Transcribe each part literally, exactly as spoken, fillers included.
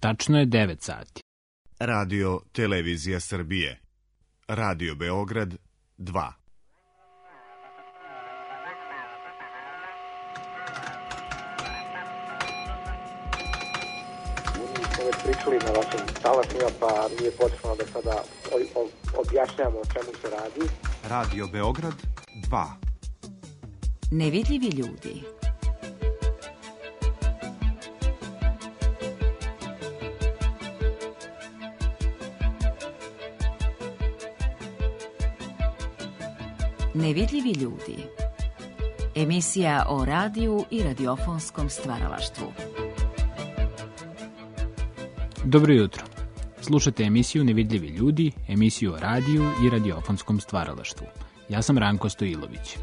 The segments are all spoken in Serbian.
Tačno je devet sati. Radio Televizija Srbije. Radio Beograd dva. Već pričali na vašim talasima, pa nije potrebno da sada objašnjamo o čemu se radi. Radio Beograd dva. Nevidljivi ljudi. Nevidljivi ljudi. Emisija o radiju i radiofonskom stvaralaštvu. Dobro jutro. Slušate emisiju Nevidljivi ljudi, emisiju o radiju i radiofonskom stvaralaštvu. Ja sam Ranko Stojilović.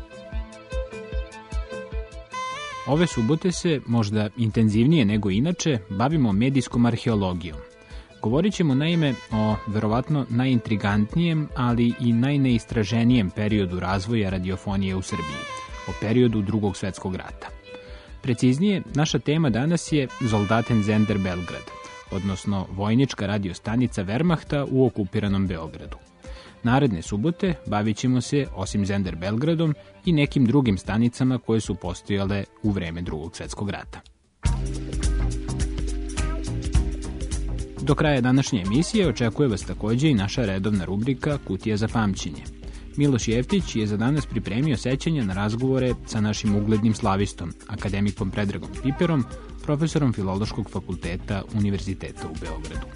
Ove subote se, možda intenzivnije nego inače, bavimo medijskom arheologijom. Govorit ćemo naime o verovatno najintrigantnijem, ali i najneistraženijem periodu razvoja radiofonije u Srbiji, o periodu Drugog svetskog rata. Preciznije, naša tema danas je Soldatensender Belgrad, odnosno vojnička radiostanica Wehrmachta u okupiranom Beogradu. Naredne subote bavit ćemo se, osim Zender Belgradom, i nekim drugim stanicama koje su postojale u vreme Drugog svetskog rata. Do kraja današnje emisije očekuje vas takođe i naša redovna rubrika Kutija za pamćenje. Miloš Jeftić je za danas pripremio sećanja na razgovore sa našim uglednim slavistom, akademikom Predragom Piperom, profesorom Filološkog fakulteta Univerziteta u Beogradu.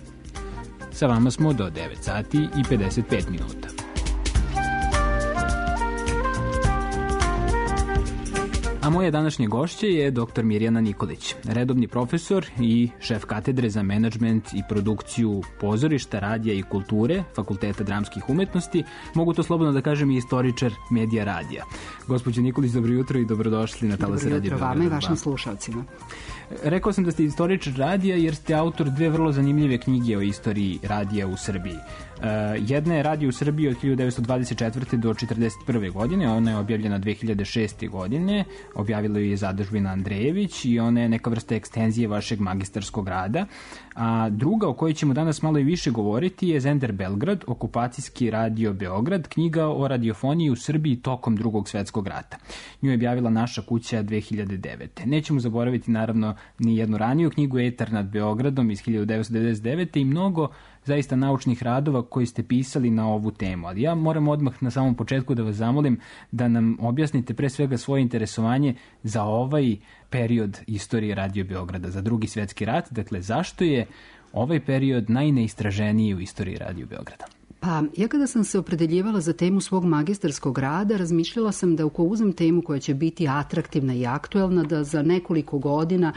Sa vama smo do devet sati i pedeset pet minuta. A moje današnje gošće je doktor Mirjana Nikolić, redovni profesor i šef katedre za menadžment i produkciju pozorišta, radija i kulture Fakulteta dramskih umetnosti, mogu to slobodno da kažem i istoričar medija radija. Gospođo Nikolić, dobro jutro i dobrodošli na Talase Radio Beograd. Dobro jutro vama i vašim slušalcima. Rekao sam da ste istoričar radija jer ste autor dve vrlo zanimljive knjige o istoriji radija u Srbiji. Uh, jedna je Radio u Srbiji od hiljadu devetsto dvadeset četvrte do četrdeset prve godine, ona je objavljena dve hiljade šeste godine, objavila ju je Zadužbina Andrejević i ona je neka vrsta ekstenzije vašeg magistarskog rada. A druga, o kojoj ćemo danas malo i više govoriti, je Zender Belgrad, okupacijski radio Beograd, knjiga o radiofoniji u Srbiji tokom Drugog svetskog rata. Nju je objavila Naša kuća dve hiljade devete. Nećemo zaboraviti naravno ni jednu raniju knjigu Etar nad Beogradom iz hiljadu devetsto devedeset devete i mnogo zaista naučnih radova koji ste pisali na ovu temu. Ali ja moram odmah na samom početku da vas zamolim da nam objasnite pre svega svoje interesovanje za ovaj period istorije Radio Beograda, za Drugi svetski rat. Dakle, zašto je ovaj period najneistraženiji u istoriji Radio Beograda? Pa, ja kada sam se opredeljivala za temu svog magistarskog rada, razmišljala sam da ako uzem temu koja će biti atraktivna i aktuelna, da za nekoliko godina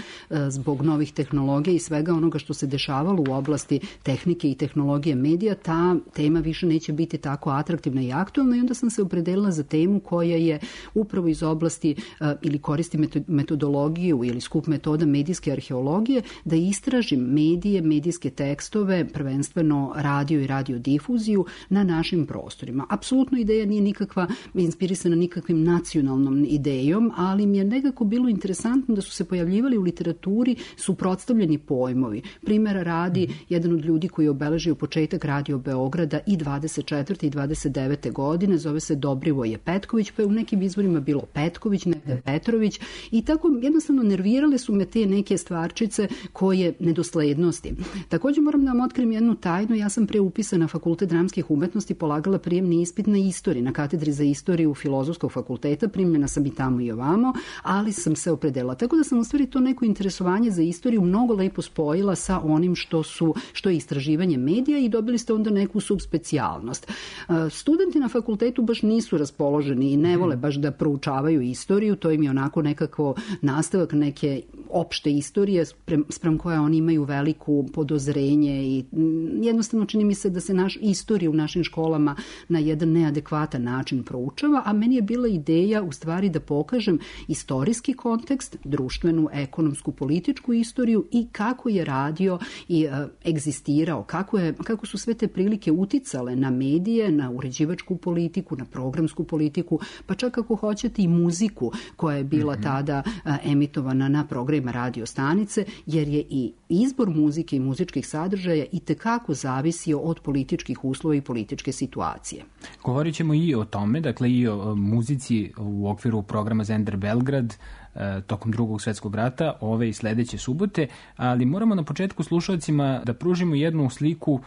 zbog novih tehnologija i svega onoga što se dešavalo u oblasti tehnike i tehnologije medija, ta tema više neće biti tako atraktivna i aktuelna i onda sam se opredelila za temu koja je upravo iz oblasti ili koristi metodologiju ili skup metoda medijske arheologije, da istražim medije, medijske tekstove, prvenstveno radio i radiodifuziju na našim prostorima. Apsolutno ideja nije nikakva inspirisana nikakvim nacionalnom idejom, ali mi je nekako bilo interesantno da su se pojavljivali u literaturi suprotstavljeni pojmovi. Primera radi, jedan od ljudi koji je obeležio početak Radio Beograda i dvadeset četvrte i dvadeset devete godine, zove se Dobrivoje Petković, pa je u nekim izvorima bilo Petković, nekde Petrović i tako jednostavno nervirale su me te neke stvarčice koje nedoslednosti. Također moram da vam otkrim jednu tajnu, ja sam pre upisana na Fakultet dramskih umetnosti polagala prijemni ispit na istoriji, na katedri za istoriju Filozofskog fakulteta, primljena sam i tamo i ovamo, ali sam se opredelila. Tako da sam u stvari to neko interesovanje za istoriju mnogo lepo spojila sa onim što su, što je istraživanje medija i dobili ste onda neku subspecijalnost. Studenti na fakultetu baš nisu raspoloženi i ne vole baš da proučavaju istoriju, to im je onako nekako nastavak neke opšte istorije sprem koje oni imaju veliku podozrenje i jednostavno čini mi se da se naš istorija istorija u našim školama na jedan neadekvatan način proučava, a meni je bila ideja u stvari da pokažem istorijski kontekst, društvenu, ekonomsku, političku istoriju i kako je radio i e, egzistirao, kako, je, kako su sve te prilike uticale na medije, na uređivačku politiku, na programsku politiku, pa čak ako hoćete i muziku koja je bila mm-hmm. tada a, emitovana na programima radio stanice, jer je i izbor muzike i muzičkih sadržaja i tekako zavisio od političkih uslova i političke situacije. Govorit ćemo i o tome, dakle i o muzici u okviru programa Zender Belgrad tokom drugog svetskog rata, ove i sledeće subote, ali moramo na početku slušalcima da pružimo jednu sliku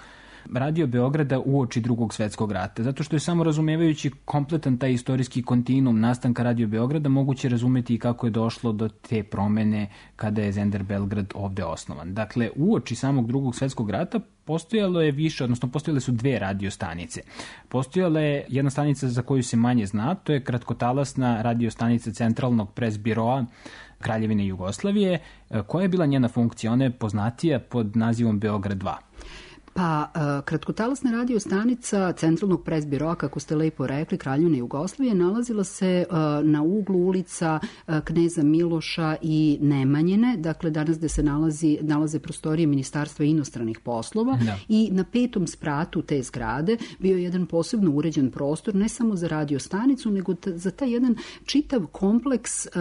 Radio Beograda uoči drugog svetskog rata, zato što je samo razumevajući kompletan taj istorijski kontinuum nastanka Radio Beograda moguće razumeti i kako je došlo do te promene kada je Zender Belgrad ovde osnovan. Dakle, uoči samog drugog svetskog rata postojalo je više, odnosno postojale su dve radio stanice. Postojala je jedna stanica za koju se manje zna, to je kratkotalasna radio stanica Centralnog pres biroa Kraljevine Jugoslavije. Koja je bila njena funkcija? Ona je poznatija pod nazivom Beograd dva. Pa, kratkotalasna radio stanica Centralnog pres biroa, kako ste lepo rekli, Kraljevine Jugoslavije, nalazila se na uglu ulica Kneza Miloša i Nemanjine, dakle danas gde se nalazi, nalaze prostorije Ministarstva inostranih poslova, da. I na petom spratu te zgrade bio je jedan posebno uređen prostor, ne samo za radio stanicu, nego ta, za taj jedan čitav kompleks uh,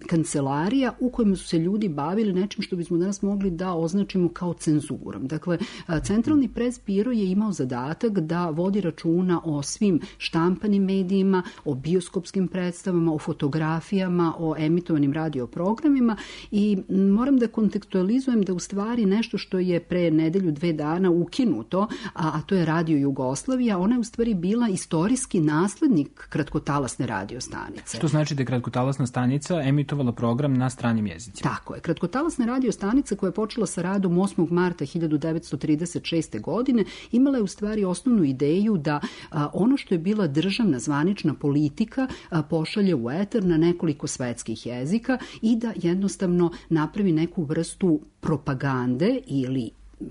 kancelarija u kojima su se ljudi bavili nečim što bismo danas mogli da označimo kao cenzurom. Dakle, Centralni pres biro je imao zadatak da vodi računa o svim štampanim medijima, o bioskopskim predstavama, o fotografijama, o emitovanim radioprogramima i moram da kontekstualizujem da u stvari nešto što je pre nedelju, dve dana ukinuto, a, a to je Radio Jugoslavija, ona je u stvari bila istorijski naslednik kratkotalasne radio stanice. Što znači da je kratkotalasna stanica emitovala program na stranim jezicima? Tako je. Kratkotalasna radio stanica koja je počela sa radom osmog marta hiljadu devetsto trideset šeste. godine imala je u stvari osnovnu ideju da a, ono što je bila državna zvanična politika a, pošalje u eter na nekoliko svetskih jezika i da jednostavno napravi neku vrstu propagande ili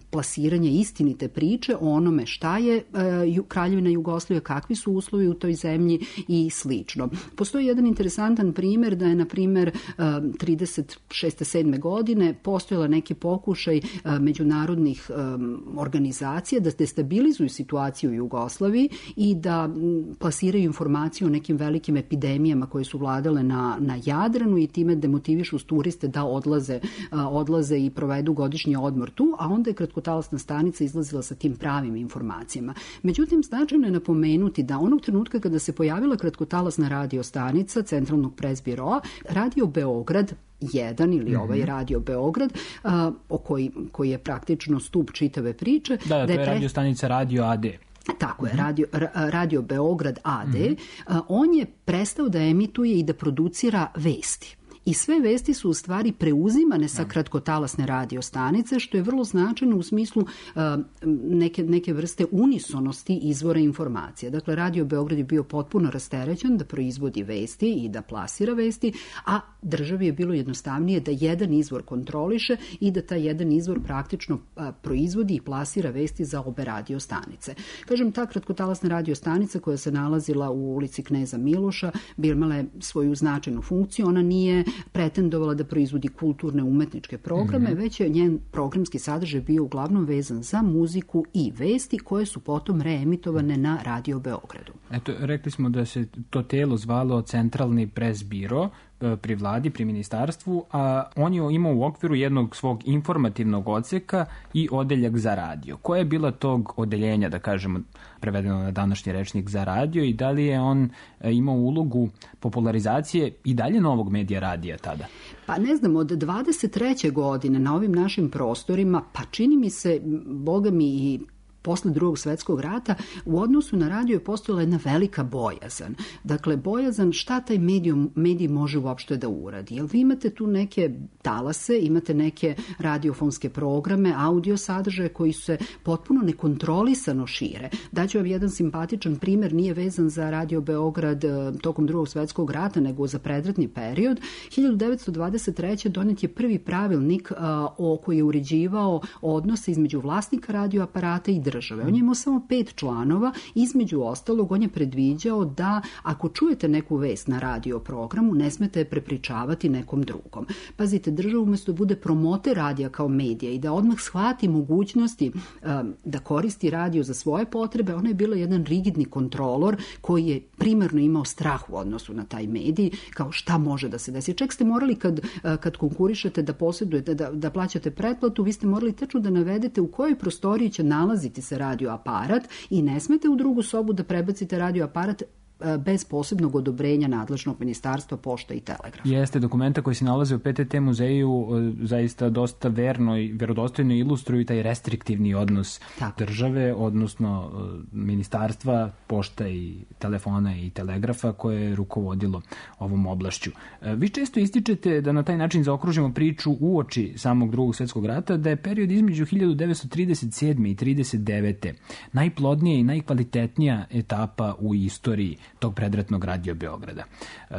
plasiranje istinite priče o onome šta je e, Kraljevina Jugoslavija, kakvi su uslovi u toj zemlji i slično. Postoji jedan interesantan primer da je, na primer, e, trideset šeste sedme godine postojala neki pokušaj e, međunarodnih e, organizacija da destabilizuju situaciju u Jugoslaviji i da m, plasiraju informaciju o nekim velikim epidemijama koje su vladale na, na Jadranu i time demotivišu turiste da odlaze, e, odlaze i provedu godišnji odmor tu, a onda je kratkotalasna stanica izlazila sa tim pravim informacijama. Međutim, značajno je napomenuti da onog trenutka kada se pojavila kratkotalasna radio stanica Centralnog pres biroa, Radio Beograd jedan ili mm-hmm. ovaj Radio Beograd, a, o koji, koji je praktično stup čitave priče. Da, da, to je, je pre... radio stanica Radio A D. Tako je, Radio, Radio Beograd A D. Mm-hmm. A, on je prestao da emituje i da producira vesti. I sve vesti su u stvari preuzimane sa kratkotalasne radio stanice, što je vrlo značajno u smislu uh, neke, neke vrste unisonosti izvora informacija. Dakle, Radio Beograd je bio potpuno rasterećen da proizvodi vesti i da plasira vesti, a državi je bilo jednostavnije da jedan izvor kontroliše i da taj jedan izvor praktično uh, proizvodi i plasira vesti za obe radio stanice. Kažem, ta kratkotalasna radio stanica koja se nalazila u ulici Kneza Miloša bi imala je svoju značajnu funkciju. Ona nije pretendovala da proizvodi kulturne umetničke programe, mm-hmm. već je njen programski sadržaj bio uglavnom vezan za muziku i vesti koje su potom reemitovane na Radio Beogradu. Eto, rekli smo da se to telo zvalo Centralni pres biro pri vladi, pri ministarstvu, a on je imao u okviru jednog svog informativnog odseka i odeljak za radio. Koja je bila tog odeljenja, da kažemo, prevedeno na današnji rečnik, za radio i da li je on imao ulogu popularizacije i dalje novog medija radija tada? Pa ne znam, od dvadeset treće godine na ovim našim prostorima, pa čini mi se, boga mi i posle drugog svetskog rata, u odnosu na radio je postojala jedna velika bojazan. Dakle, bojazan šta taj medijum, medij može uopšte da uradi. Jel vi imate tu neke talase, imate neke radiofonske programe, audio sadržaje koji se potpuno nekontrolisano šire. Daću vam jedan simpatičan primer, nije vezan za Radio Beograd tokom drugog svetskog rata, nego za predratni period. hiljadu devetsto dvadeset treće donet je prvi pravilnik a, o koji je uređivao odnose između vlasnika radioaparata i države. On je imao samo pet članova, između ostalog on je predviđao da ako čujete neku vest na radio programu, ne smete je prepričavati nekom drugom. Pazite, država umjesto da bude promoter radija kao medija i da odmah shvati mogućnosti um, da koristi radio za svoje potrebe, ona je bila jedan rigidni kontrolor koji je primarno imao strah u odnosu na taj medij, kao šta može da se desi. Čak ste morali kad, kad konkurišete da posjedujete, da, da plaćate pretplatu, vi ste morali tačno da navedete u kojoj prostoriji će nalaziti se radio aparat i ne smete u drugu sobu da prebacite radio aparat bez posebnog odobrenja nadležnog ministarstva pošta i telegrafa. Jeste, dokumenta koji se nalaze u P T T muzeju zaista dosta verno i verodostojno ilustruju taj restriktivni odnos Tako. države, odnosno ministarstva, pošta i telefona i telegrafa koje je rukovodilo ovom oblašću. Vi često ističete da na taj način zaokružimo priču uoči samog drugog svjetskog rata, da je period između hiljadu devetsto trideset sedme i trideset devete najplodnija i najkvalitetnija etapa u istoriji tog predratnog Radio Beograda.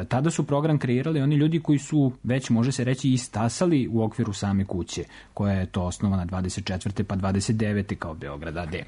Tada su program kreirali oni ljudi koji su već, može se reći, istasali u okviru same kuće, koja je to osnovana dvadeset četvrte pa dvadeset devete kao Beograd A D.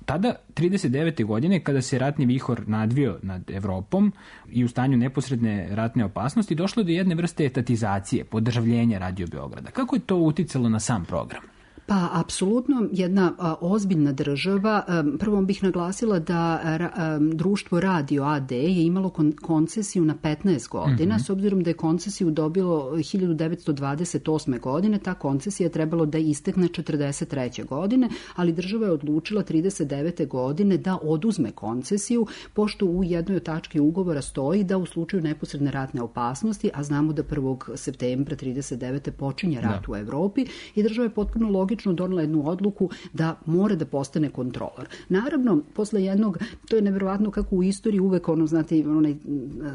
Tada, trideset devete godine, kada se ratni vihor nadvio nad Evropom i u stanju neposredne ratne opasnosti, došlo do jedne vrste etatizacije, podržavljenja Radio Beograda. Kako je to uticalo na sam program? Pa, apsolutno jedna a, ozbiljna država. A, prvo bih naglasila da a, društvo Radio A D je imalo kon, koncesiju na petnaest godina, mm-hmm. s obzirom da je koncesiju dobilo hiljadu devetsto dvadeset osme godine, ta koncesija je trebalo da istekne četrdeset treće godine, ali država je odlučila trideset devete godine da oduzme koncesiju, pošto u jednoj od tački ugovora stoji da u slučaju neposredne ratne opasnosti, a znamo da prvog septembra trideset devete počinje rat da. u Evropi, i država je potpuno logično donela jednu odluku da mora da postane kontrolor. Naravno, posle jednog, to je nevjerovatno kako u istoriji uvek ono, znate, onaj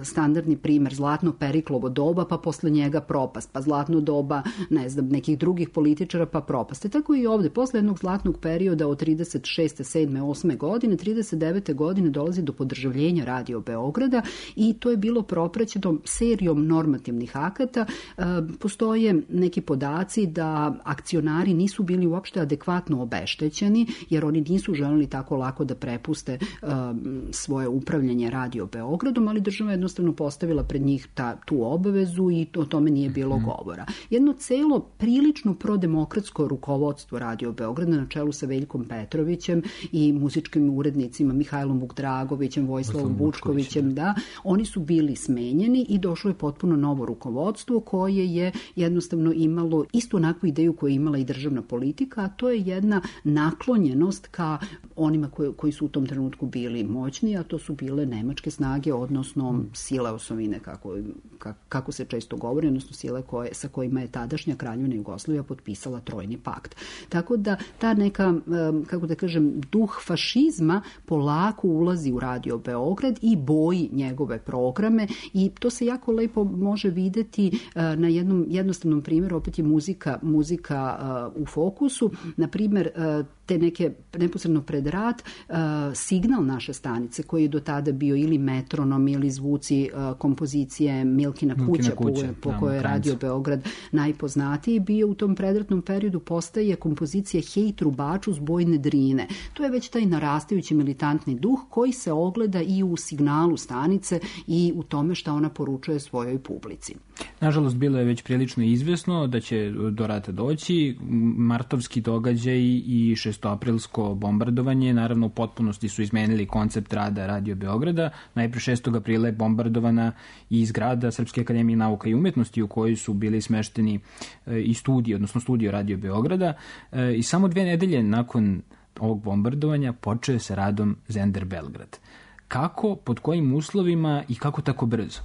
standardni primer, zlatno Periklovo doba, pa posle njega propast, pa zlatno doba, ne znam, nekih drugih političara, pa propast. E tako i ovde, posle jednog zlatnog perioda od trideset šeste, sedme, osme godine, trideset devete godine dolazi do podržavljenja Radio Beograda i to je bilo propraćeno serijom normativnih akata. E, postoje neki podaci da akcionari nisu bili uopšte adekvatno obeštećeni, jer oni nisu želeli tako lako da prepuste um, svoje upravljanje Radio Beogradom, ali država jednostavno postavila pred njih ta, tu obavezu i o tome nije bilo mm-hmm. govora. Jedno celo prilično prodemokratsko rukovodstvo Radio Beograda na čelu sa Veljkom Petrovićem i muzičkim urednicima Mihajlom Vukdragovićem, Vojislavom Vučkovićem, da, oni su bili smenjeni i došlo je potpuno novo rukovodstvo koje je jednostavno imalo istu onakvu ideju koju je imala i državna politika, a to je jedna naklonjenost ka onima koji, koji su u tom trenutku bili moćni, a to su bile nemačke snage, odnosno sile osovine, kako, kako se često govori, odnosno sile koje, sa kojima je tadašnja Kraljevina Jugoslavija potpisala Trojni pakt. Tako da ta neka, kako da kažem, duh fašizma polako ulazi u Radio Beograd i boji njegove programe i to se jako lepo može videti na jednom jednostavnom primjeru, opet je muzika, muzika u fokusu, na primjer te neke neposredno pred rat signal naše stanice koji je do tada bio ili metronom ili zvuci kompozicije Milkina kuća, Milkina kuća po, po kojoj je Radio Beograd najpoznatiji bio u tom predratnom periodu, postaje kompozicija Hej trubaču s Bojne Drine. To je već taj narastajući militantni duh koji se ogleda i u signalu stanice i u tome šta ona poručuje svojoj publici. Nažalost, bilo je već prilično izvesno da će do rata doći. Martovski događaj i šestoaprilsko bombardovanje naravno u potpunosti su izmenili koncept rada Radio Beograda. Najpre šestog aprila je bombardovana i zgrada Srpske akademije nauka i umetnosti u kojoj su bili smešteni i studiji, odnosno studio Radio Beograda. I samo dve nedelje nakon ovog bombardovanja počeo je sa radom Zender Belgrad. Kako, pod kojim uslovima i kako tako brzo?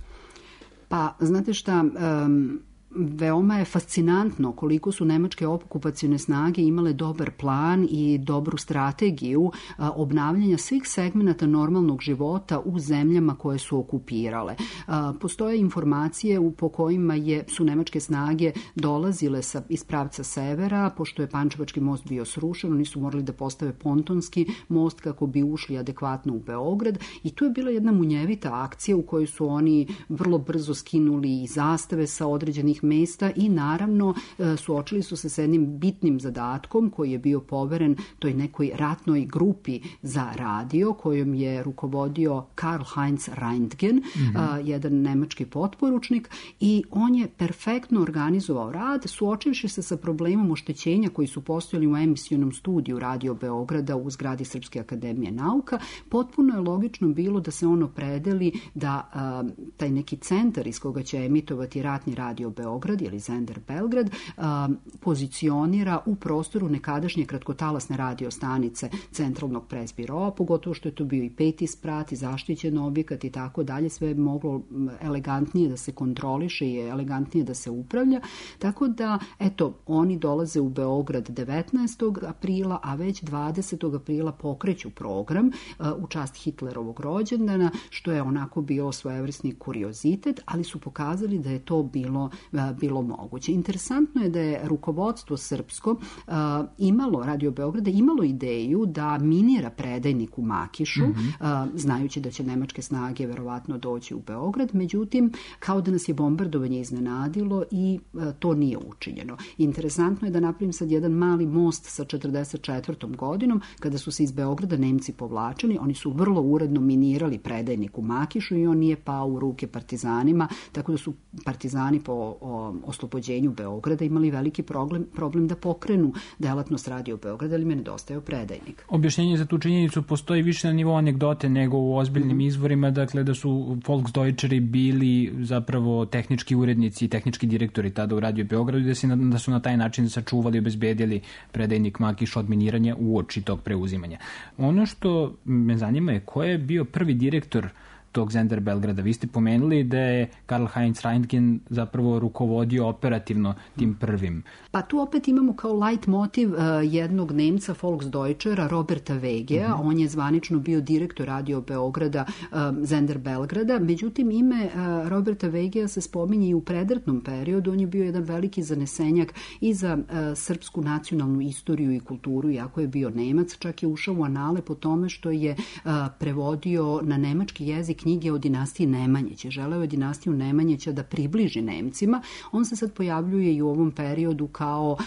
Pa, znate šta, um, veoma je fascinantno koliko su nemačke okupacione snage imale dobar plan i dobru strategiju a, obnavljanja svih segmenata normalnog života u zemljama koje su okupirale. A, postoje informacije u, po kojima je, su nemačke snage dolazile sa, iz pravca severa, pošto je Pančevački most bio srušen, oni su morali da postave pontonski most kako bi ušli adekvatno u Beograd i tu je bila jedna munjevita akcija u kojoj su oni vrlo brzo skinuli i zastave sa određenih mesta i naravno suočili su se sa jednim bitnim zadatkom koji je bio poveren toj nekoj ratnoj grupi za radio kojom je rukovodio Karl Heinz Reintgen, mm-hmm. a, jedan nemački potporučnik, i on je perfektno organizovao rad, suočivši se sa problemom oštećenja koji su postojali u emisionom studiju Radio Beograda u zgradi Srpske akademije nauka. Potpuno je logično bilo da se on opredeli da a, taj neki centar iz koga će emitovati ratni Radio Beograd ili Sender Belgrad a, pozicionira u prostoru nekadašnje kratkotalasne radio stanice Centralnog presbiroa, pogotovo što je to bio i peti sprat i zaštićen objekat i tako dalje, sve je moglo elegantnije da se kontroliše i elegantnije da se upravlja. Tako da, eto, oni dolaze u Beograd devetnaestog aprila, a već dvadesetog aprila pokreću program uh, u čast Hitlerovog rođendana, što je onako bio svojevrsni kuriozitet, ali su pokazali da je to bilo, uh, bilo moguće. Interesantno je da je rukovodstvo srpsko uh, imalo, Radio Beograda, imalo ideju da minira predajnik u Makišu, mm-hmm. uh, znajući da će nemačke snage verovatno doći u Beograd, međutim, kao da nas je bombardovanje iznenadilo i uh, to nije učinjeno. Interesantno je da napravim sad jedan mali most sa četrdeset četvrtom godinom, kada su se iz Beograda Nemci povlačili, oni su vrlo uredno minirali predajnik u Makišu i on nije pao u ruke partizanima, tako da su partizani po o, oslobođenju Beograda imali veliki problem, problem da pokrenu delatnost Radio Beograda, ali mi je nedostajao predajnik. Objašnjenje za tu činjenicu postoji više na nivou anegdote nego u ozbiljnim mm-hmm. izvorima, dakle da su Volksdeutscheri bili zapravo tehnički urednici i tehnički direktori tada u Radio Beogradu i da, si, da su na taj način sačuvali i obezbedili predajnik Makiš od miniranja uoči tog preuzimanja. Ono što me zanima je ko je bio prvi direktor tog Sender Belgrada. Vi ste pomenuli da je Karl Heinz Reintgen zapravo rukovodio operativno tim prvim. Pa tu opet imamo kao light motiv uh, jednog Nemca, Volksdeutschera, Roberta Vegea. Mm-hmm. On je zvanično bio direktor Radio Beograda, um, Sender Belgrada. Međutim, ime uh, Roberta Vegea se spominje i u predratnom periodu. On je bio jedan veliki zanesenjak i za uh, srpsku nacionalnu istoriju i kulturu, iako je bio Nemac. Čak je ušao u anale po tome što je uh, prevodio na nemački jezik knjige o dinastiji Nemanjića. Želeo je dinastiju Nemanjića da približi Nemcima. On se sad pojavljuje i u ovom periodu kao,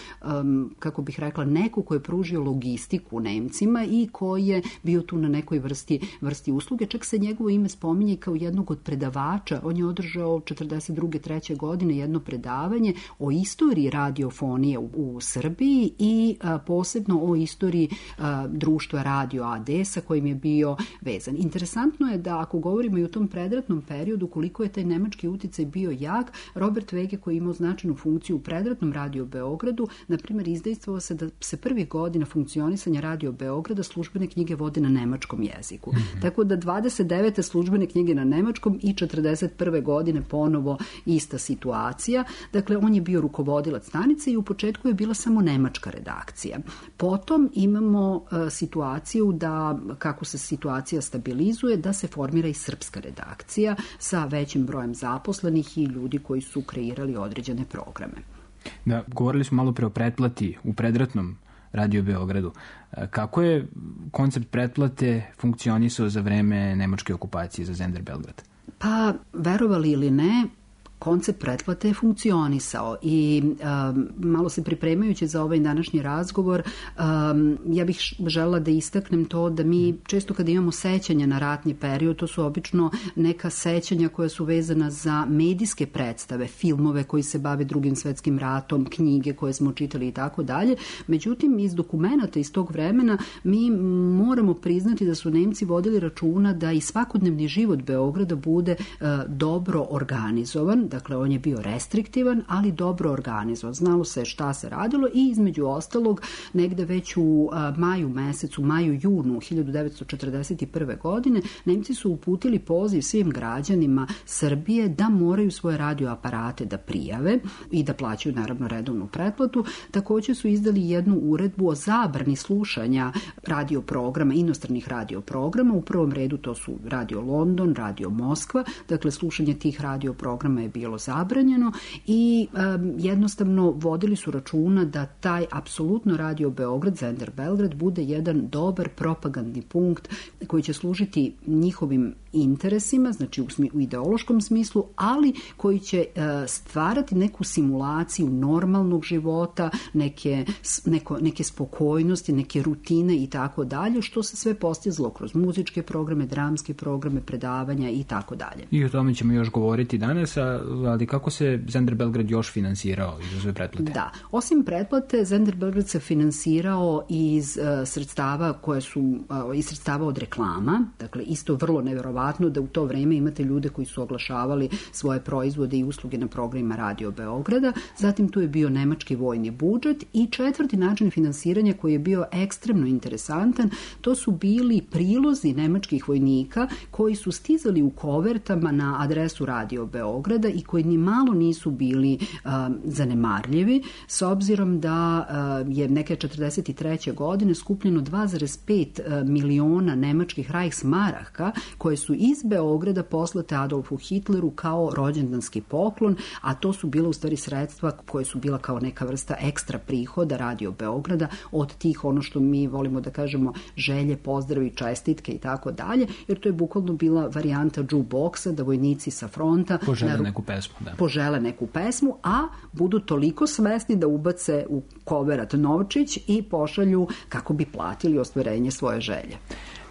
um, kako bih rekla, neko ko je pružio logistiku Nemcima i koji je bio tu na nekoj vrsti, vrsti usluge. Čak se njegovo ime spominje kao jednog od predavača. On je održao četrdeset druge treće godine jedno predavanje o istoriji radiofonije u, u Srbiji i a, posebno o istoriji a, društva Radio A D sa kojim je bio vezan. Interesantno je da ako govorimo i u tom predratnom periodu koliko je taj nemački uticaj bio jak, Robert Vege koji je imao značajnu funkciju u predratnom Radio Beogradu, na primjer izdejstvovao se da se prvih godina funkcionisanja Radio Beograda službene knjige vode na nemačkom jeziku. Mm-hmm. Tako da dvadeset devete službene knjige na nemačkom i četrdeset prve godine ponovo ista situacija. Dakle, on je bio rukovodilac stanice i u početku je bila samo nemačka redakcija. Potom imamo uh, situaciju da, kako se situacija stabilizuje, da se formira i srpska redakcija sa većim brojem zaposlenih i ljudi koji su kreirali određene programe. Da, govorili smo malo pre o pretplati u predratnom Radio Beogradu. Kako je koncept pretplate funkcionisao za vreme nemačke okupacije za Sender Belgrad? Pa, verovali ili ne, koncept pretplate je funkcionisao i um, malo se pripremajući za ovaj današnji razgovor, um, ja bih želela da istaknem to da mi često kada imamo sećanja na ratni period, to su obično neka sećanja koja su vezana za medijske predstave, filmove koji se bave Drugim svetskim ratom, knjige koje smo čitali i tako dalje. Međutim, iz dokumenata iz tog vremena mi moramo priznati da su Nemci vodili računa da i svakodnevni život Beograda bude uh, dobro organizovan. Dakle, on je bio restriktivan, ali dobro organizovan. Znalo se šta se radilo i između ostalog negde već u a, maju mesecu, maju, junu hiljadu devetsto četrdeset prve godine Nemci su uputili poziv svim građanima Srbije da moraju svoje radioaparate da prijave i da plaćaju naravno redovnu pretplatu. Također su izdali jednu uredbu o zabrani slušanja radioprograma, inostranih radioprograma. U prvom redu to su Radio London, Radio Moskva. Dakle, slušanje tih radioprograma je bilo zabranjeno i um, jednostavno vodili su računa da taj apsolutno Radio Beograd, Zender Belgrad, bude jedan dobar propagandni punkt koji će služiti njihovim interesima, znači u, smi, u ideološkom smislu, ali koji će uh, stvarati neku simulaciju normalnog života, neke, neko, neke spokojnosti, neke rutine i tako dalje, što se sve postizlo kroz muzičke programe, dramske programe, predavanja i tako dalje. I o tome ćemo još govoriti danas, ali kako se Zender Belgrad još finansirao iz ove pretplate? Da, osim pretplate, Zender Belgrad se finansirao iz uh, sredstava koje su, uh, iz sredstava od reklama, dakle isto vrlo nevjerovatno da u to vreme imate ljude koji su oglašavali svoje proizvode i usluge na programima Radio Beograda, zatim tu je bio nemački vojni budžet i četvrti način finansiranja koji je bio ekstremno interesantan, to su bili prilozi nemačkih vojnika koji su stizali u kovertama na adresu Radio Beograda i koji ni malo nisu bili uh, zanemarljivi, s obzirom da uh, je neke četrdeset treće godine skupljeno dva zarez pet miliona nemačkih Reichsmaraka koje su iz Beograda poslate Adolfu Hitleru kao rođendanski poklon, a to su bila u stvari sredstva koje su bila kao neka vrsta ekstra prihoda Radio Beograda od tih, ono što mi volimo da kažemo, želje, pozdravi, čestitke i tako dalje, jer to je bukvalno bila varijanta jukeboxa, da vojnici sa fronta požele naru... neku pesmu, da. požele neku pesmu, a budu toliko svesni da ubace u koverat novčić i pošalju kako bi platili ostvarenje svoje želje.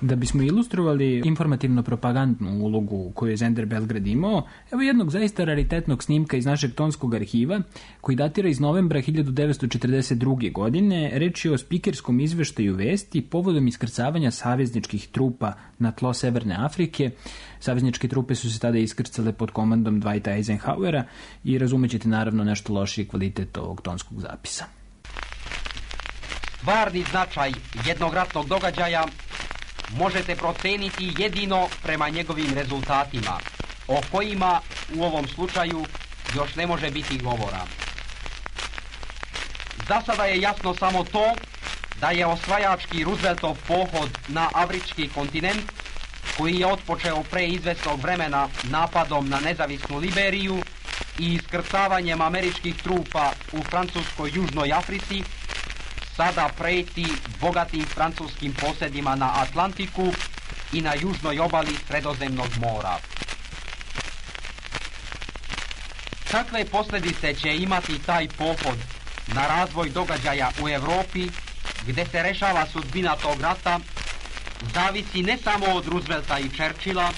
Da bismo ilustrovali informativno-propagandnu ulogu koju je Zender Belgrad imao, evo jednog zaista raritetnog snimka iz našeg tonskog arhiva, koji datira iz novembra hiljadu devetsto četrdeset druge. godine. Reč je o spikerskom izveštaju vesti povodom iskrcavanja savezničkih trupa na tlo Severne Afrike. Savezničke trupe su se tada iskrcale pod komandom Dwighta Eisenhowera i razumećete naravno nešto lošiji kvalitet ovog tonskog zapisa. Stvarni značaj jednog ratnog događaja možete proceniti jedino prema njegovim rezultatima, o kojima u ovom slučaju još ne može biti govora. Za sada je jasno samo to da je osvajački Rooseveltov pohod na afrički kontinent, koji je otpočeo pre izvesnog vremena napadom na nezavisnu Liberiju i iskrcavanjem američkih trupa u francuskoj Južnoj Africi, sada preti bogatim francuskim posjedima na Atlantiku i na južnoj obali Sredozemnog mora. Kakve posljedice će imati taj pohod na razvoj događaja u Europi, gdje se rešava sudbina tog rata, zavisi ne samo od Roosevelta i Churchilla,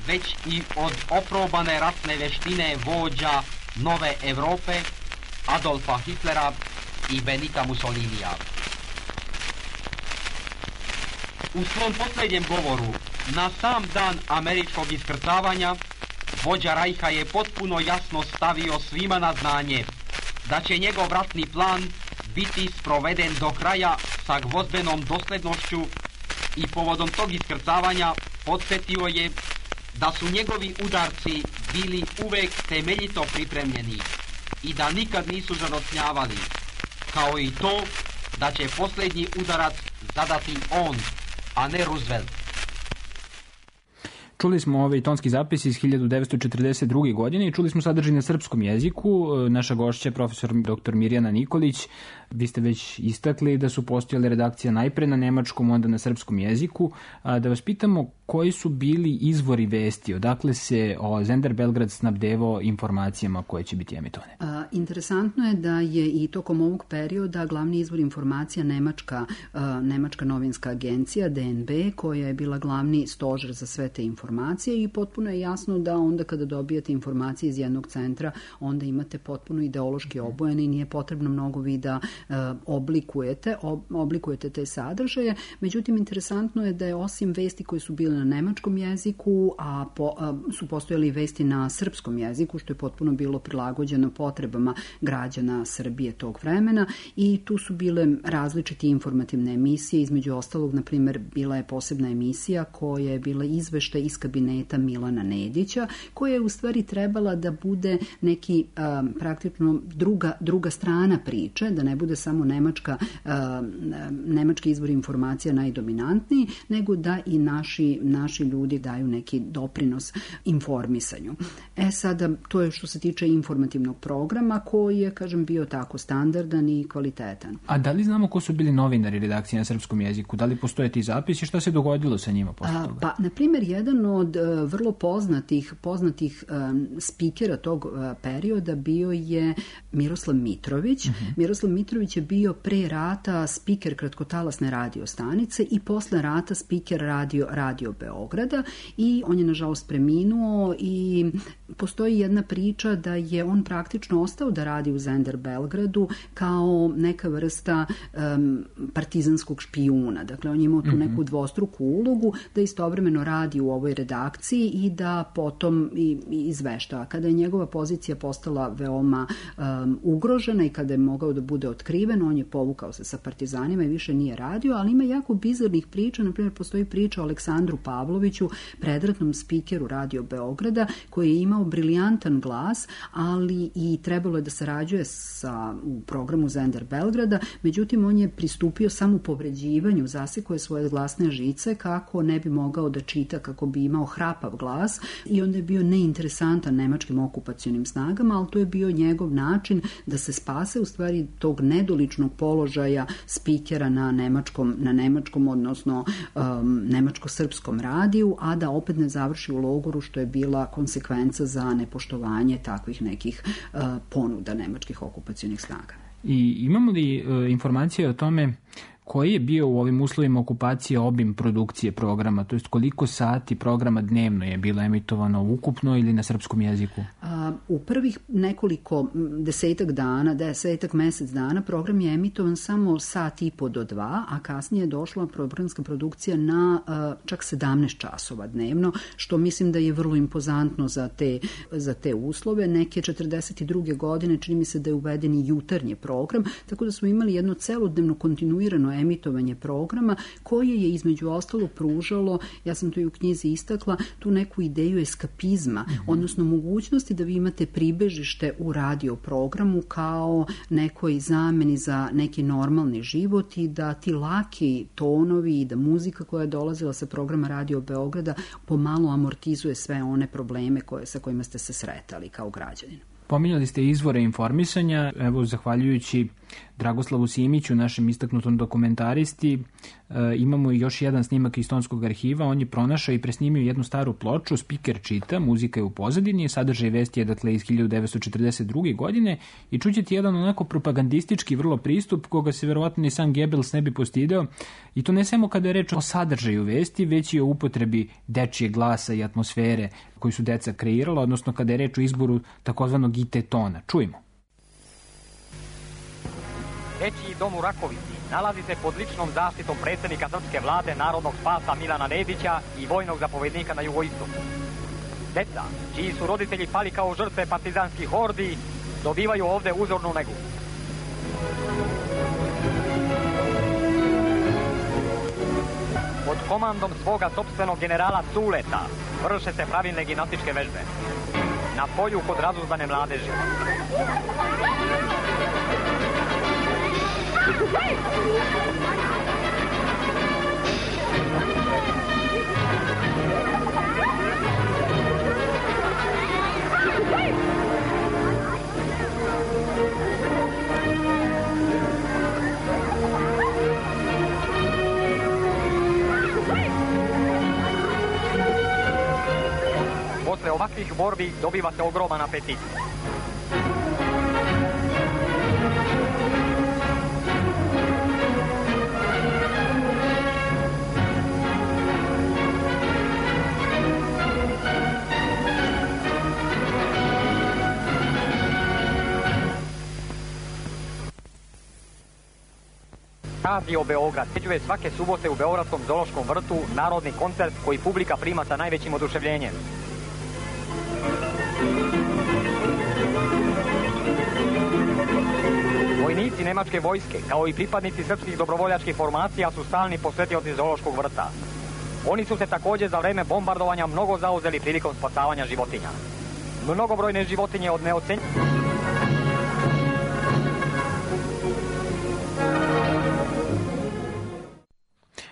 već i od oprobane ratne veštine vođa nove Europe, Adolfa Hitlera i Benita Mussolinija. U svom posljednjem govoru, na sam dan američkog iskrcavanja, vođa Rajha je potpuno jasno stavio svima na znanje da će njegov ratni plan biti sproveden do kraja sa gvozdenom doslednošću i povodom tog iskrcavanja podsjetio je da su njegovi udarci bili uvek temeljito pripremljeni i da nikad nisu zarotnjavali, kao i to da će posljednji udarac zadati on, a ne Roosevelt. Čuli smo ovaj tonski zapis iz hiljadu devetsto četrdeset druge. godine i čuli smo sadržaj na srpskom jeziku. Naša gošća, profesor doktor Mirjana Nikolić, vi ste već istakli da su postojale redakcije najpre na nemačkom, onda na srpskom jeziku. Da vas pitamo koji su bili izvori vesti, odakle se o Zender Belgrad snabdevao informacijama koje će biti emitovane? A, interesantno je da je i tokom ovog perioda glavni izvor informacija Nemačka, a, Nemačka novinska agencija D N B, koja je bila glavni stožer za sve te informacije i potpuno je jasno da onda kada dobijate informacije iz jednog centra, onda imate potpuno ideološki obojene i nije potrebno mnogo vi da a, oblikujete, ob, oblikujete te sadržaje. Međutim, interesantno je da je osim vesti koje su bile na nemačkom jeziku, a, po, a su postojali vesti na srpskom jeziku, što je potpuno bilo prilagođeno potrebama potrebama građana Srbije tog vremena i tu su bile različite informativne emisije, između ostalog, na primjer, bila je posebna emisija koja je bila izveštaj iz kabineta Milana Nedića, koja je u stvari trebala da bude neki um, praktično druga, druga strana priče, da ne bude samo nemačka, um, nemački izvor informacija najdominantniji, nego da i naši, naši ljudi daju neki doprinos informisanju. E sada, to je što se tiče informativnog programa koji je, kažem, bio tako standardan i kvalitetan. A da li znamo ko su bili novinari redakcije na srpskom jeziku? Da li postoje ti zapisi? Šta se dogodilo sa njima posle toga? Pa, na primjer, jedan od uh, vrlo poznatih, poznatih um, spikera tog uh, perioda bio je Miroslav Mitrović. Uh-huh. Miroslav Mitrović je bio pre rata spiker kratkotalasne radio stanice i posle rata spiker radio, radio Beograda i on je nažalost preminuo i postoji jedna priča da je on praktično ostao da radi u Zender Belgradu kao neka vrsta um, partizanskog špijuna. Dakle, on je imao tu neku dvostruku ulogu da istovremeno radi u ovoj redakciji i da potom i, i izveštava. Kada je njegova pozicija postala veoma um, ugrožena i kada je mogao da bude otkriven, on je povukao se sa partizanima i više nije radio, ali ima jako bizarnih priča. Na primjer, postoji priča o Aleksandru Pavloviću, predratnom spikeru Radio Beograda, koji je imao briljantan glas, ali i trebalo je da sarađuje sa, u programu Zender Belgrada, međutim on je pristupio samo povređivanju, zasekao je svoje glasne žice kako ne bi mogao da čita, kako bi imao hrapav glas i onda je bio neinteresantan nemačkim okupacionim snagama, ali to je bio njegov način da se spase u stvari tog nedoličnog položaja spikera na nemačkom, na nemačkom odnosno um, nemačko-srpskom radiju, a da opet ne završi u logoru, što je bila konsekvenca za nepoštovanje takvih nekih uh, ponuda nemačkih okupacionih snaga. I imamo li uh, informacije o tome koji je bio u ovim uslovima okupacije obim produkcije programa, to jest koliko sati programa dnevno je bilo emitovano ukupno ili na srpskom jeziku? A, u prvih nekoliko desetak dana, desetak mesec dana program je emitovan samo sat i po do dva, a kasnije je došla programska produkcija na a, čak sedamnaest časova dnevno, što mislim da je vrlo impozantno za te, za te uslove. Neke četrdeset druge godine čini mi se da je uveden i jutarnji program, tako da smo imali jedno celodnevno kontinuirano emitovanje programa koje je između ostalog pružalo, ja sam to i u knjizi istakla, tu neku ideju eskapizma, mm-hmm. odnosno mogućnosti da vi imate pribežište u radio programu kao nekoj zameni za neki normalni život i da ti laki tonovi i da muzika koja je dolazila sa programa Radio Beograda pomalo amortizuje sve one probleme koje, sa kojima ste se sretali kao građanin. Pominjali ste izvore informisanja, evo zahvaljujući Dragoslavu Simiću, našem istaknutom dokumentaristi, e, imamo još jedan snimak iz Tonskog arhiva, on je pronašao i presnimio jednu staru ploču, spiker čita, muzika je u pozadini, sadržaj vesti je dakle iz hiljadu devetsto četrdeset druge. godine i čućete jedan onako propagandistički vrlo pristup koga se verovatno ni sam Goebbels ne bi postideo i to ne samo kada je reč o sadržaju vesti, već i o upotrebi dečije glasa i atmosfere koju su deca kreirala, odnosno kada je reč o izboru takozvanog I T tona. Čujmo. Dečiji dom u Rakovici nalazi se pod ličnom zaštitom predsjednika srpske vlade, narodnog spasa Milana Nedića i vojnog zapovednika na jugoistoku. Deca, čiji su roditelji pali kao žrtve partizanskih hordi, dobivaju ovde uzornu negu. Pod komandom svoga sopstvenog generala Culeta vrše se pravilne gimnastičke vežbe. Na polju kod razuzdane mladeži. Posle ovakvih borbi dobiva se ogroman apetit. Radio Beograd priređuje svake subote u Beogradskom zoološkom vrtu narodni koncert koji publika prima sa najvećim oduševljenjem. Vojnici nemačke vojske, kao i pripadnici srpskih dobrovoljačkih formacija, su stalni posjetioci zoološkog vrta. Oni su se također za vreme bombardovanja mnogo zauzeli prilikom spasavanja životinja. Mnogobrojne životinje od neocenjivih.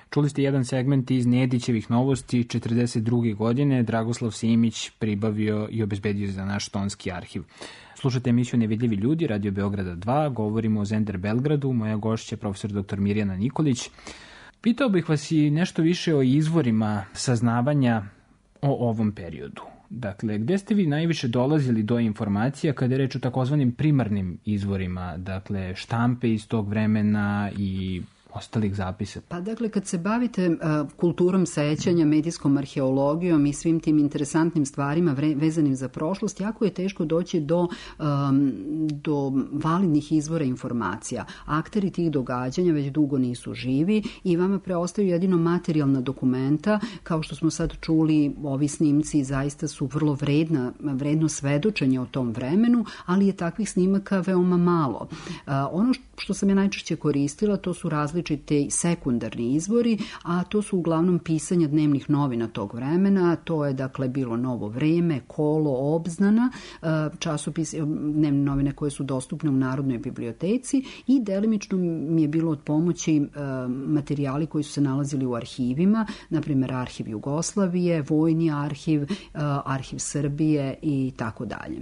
Čuli ste jedan segment iz Nedićevih novosti. četrdeset druge godine Dragoslav Simić pribavio i obezbedio za naš tonski arhiv. Slušate emisiju Nevidljivi ljudi, Radio Beograda dva, govorimo o Zender Belgradu, moja gošća je profesor doktor Mirjana Nikolić. Pitao bih vas i nešto više o izvorima saznavanja o ovom periodu. Dakle, gde ste vi najviše dolazili do informacija kada je reč o takozvanim primarnim izvorima, dakle štampe iz tog vremena i ostalih zapisa? Pa dakle, kad se bavite uh, kulturom sećanja, medijskom arheologijom i svim tim interesantnim stvarima vre, vezanim za prošlost, jako je teško doći do, um, do validnih izvora informacija. Akteri tih događanja već dugo nisu živi i vama preostaju jedino materijalna dokumenta. Kao što smo sad čuli, ovi snimci zaista su vrlo vredna, vredno svedočenje o tom vremenu, ali je takvih snimaka veoma malo. Uh, ono što sam ja najčešće koristila, to su različite sekundarni izvori, a to su uglavnom pisanja dnevnih novina tog vremena. To je dakle bilo Novo vreme, Kolo, Obznana, časopis, dnevne novine koje su dostupne u Narodnoj biblioteci i delimično mi je bilo od pomoći materijali koji su se nalazili u arhivima, na primjer Arhiv Jugoslavije, Vojni arhiv, Arhiv Srbije i tako dalje.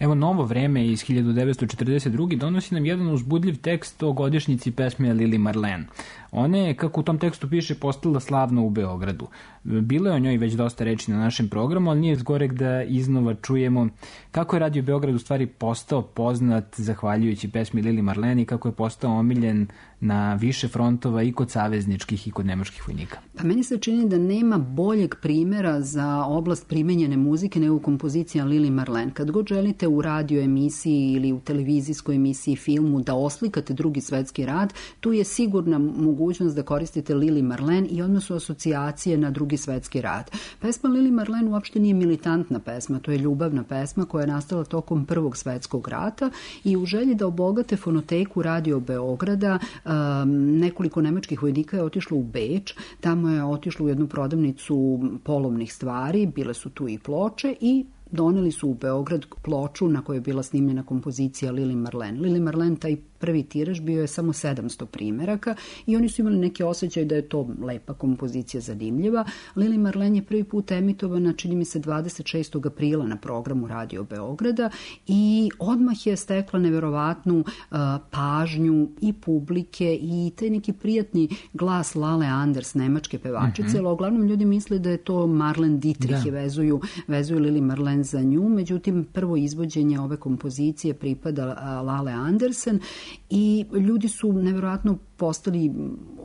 Evo, Novo vreme iz hiljadu devetsto četrdeset druge donosi nam jedan uzbudljiv tekst o godišnjici pesme Lili Marlen. Ona je, kako u tom tekstu piše, postala slavna u Beogradu. Bilo je o njoj već dosta reči na našem programu, ali nije zgorek da iznova čujemo kako je Radio Beograd u stvari postao poznat zahvaljujući pesmi Lili Marlen i kako je postao omiljen na više frontova i kod savezničkih i kod nemačkih vojnika. Pa meni se čini da nema boljeg primjera za oblast primenjene muzike nego kompozicija Lili Marlen. Kad god želite u radio emisiji ili u televizijskoj emisiji, filmu da oslikate Drugi svetski rat, tu je sigurna mogućnost da koristite Lili Marlen i odmah su asocijacije na Drugi svetski rat. Pesma Lili Marlen uopšte nije militantna pesma, to je ljubavna pesma koja je nastala tokom Prvog svetskog rata i u želji da obogate fonoteku Radio Beograda, um, nekoliko nemačkih vojnika je otišlo u Beč, tamo je otišlo u jednu prodavnicu polovnih stvari, bile su tu i ploče i doneli su u Beograd ploču na kojoj je bila snimljena kompozicija Lili Marlen. Lili Marlen, taj prvi tiraž bio je samo sedamsto primeraka i oni su imali neki osjećaj da je to lepa kompozicija, zanimljiva. Lili Marlen je prvi put emitovana, čini mi se, dvadeset šestog aprila na programu Radio Beograda i odmah je stekla neverovatnu uh, pažnju i publike i taj neki prijatni glas Lale Anders, nemačke pevačice, mm-hmm. ali uglavnom ljudi misle da je to Marlen Dietrich da. i vezuju, vezuju Lili Marlen za nju, međutim prvo izvođenje ove kompozicije pripada uh, Lale Andersen i ljudi su nevjerojatno postali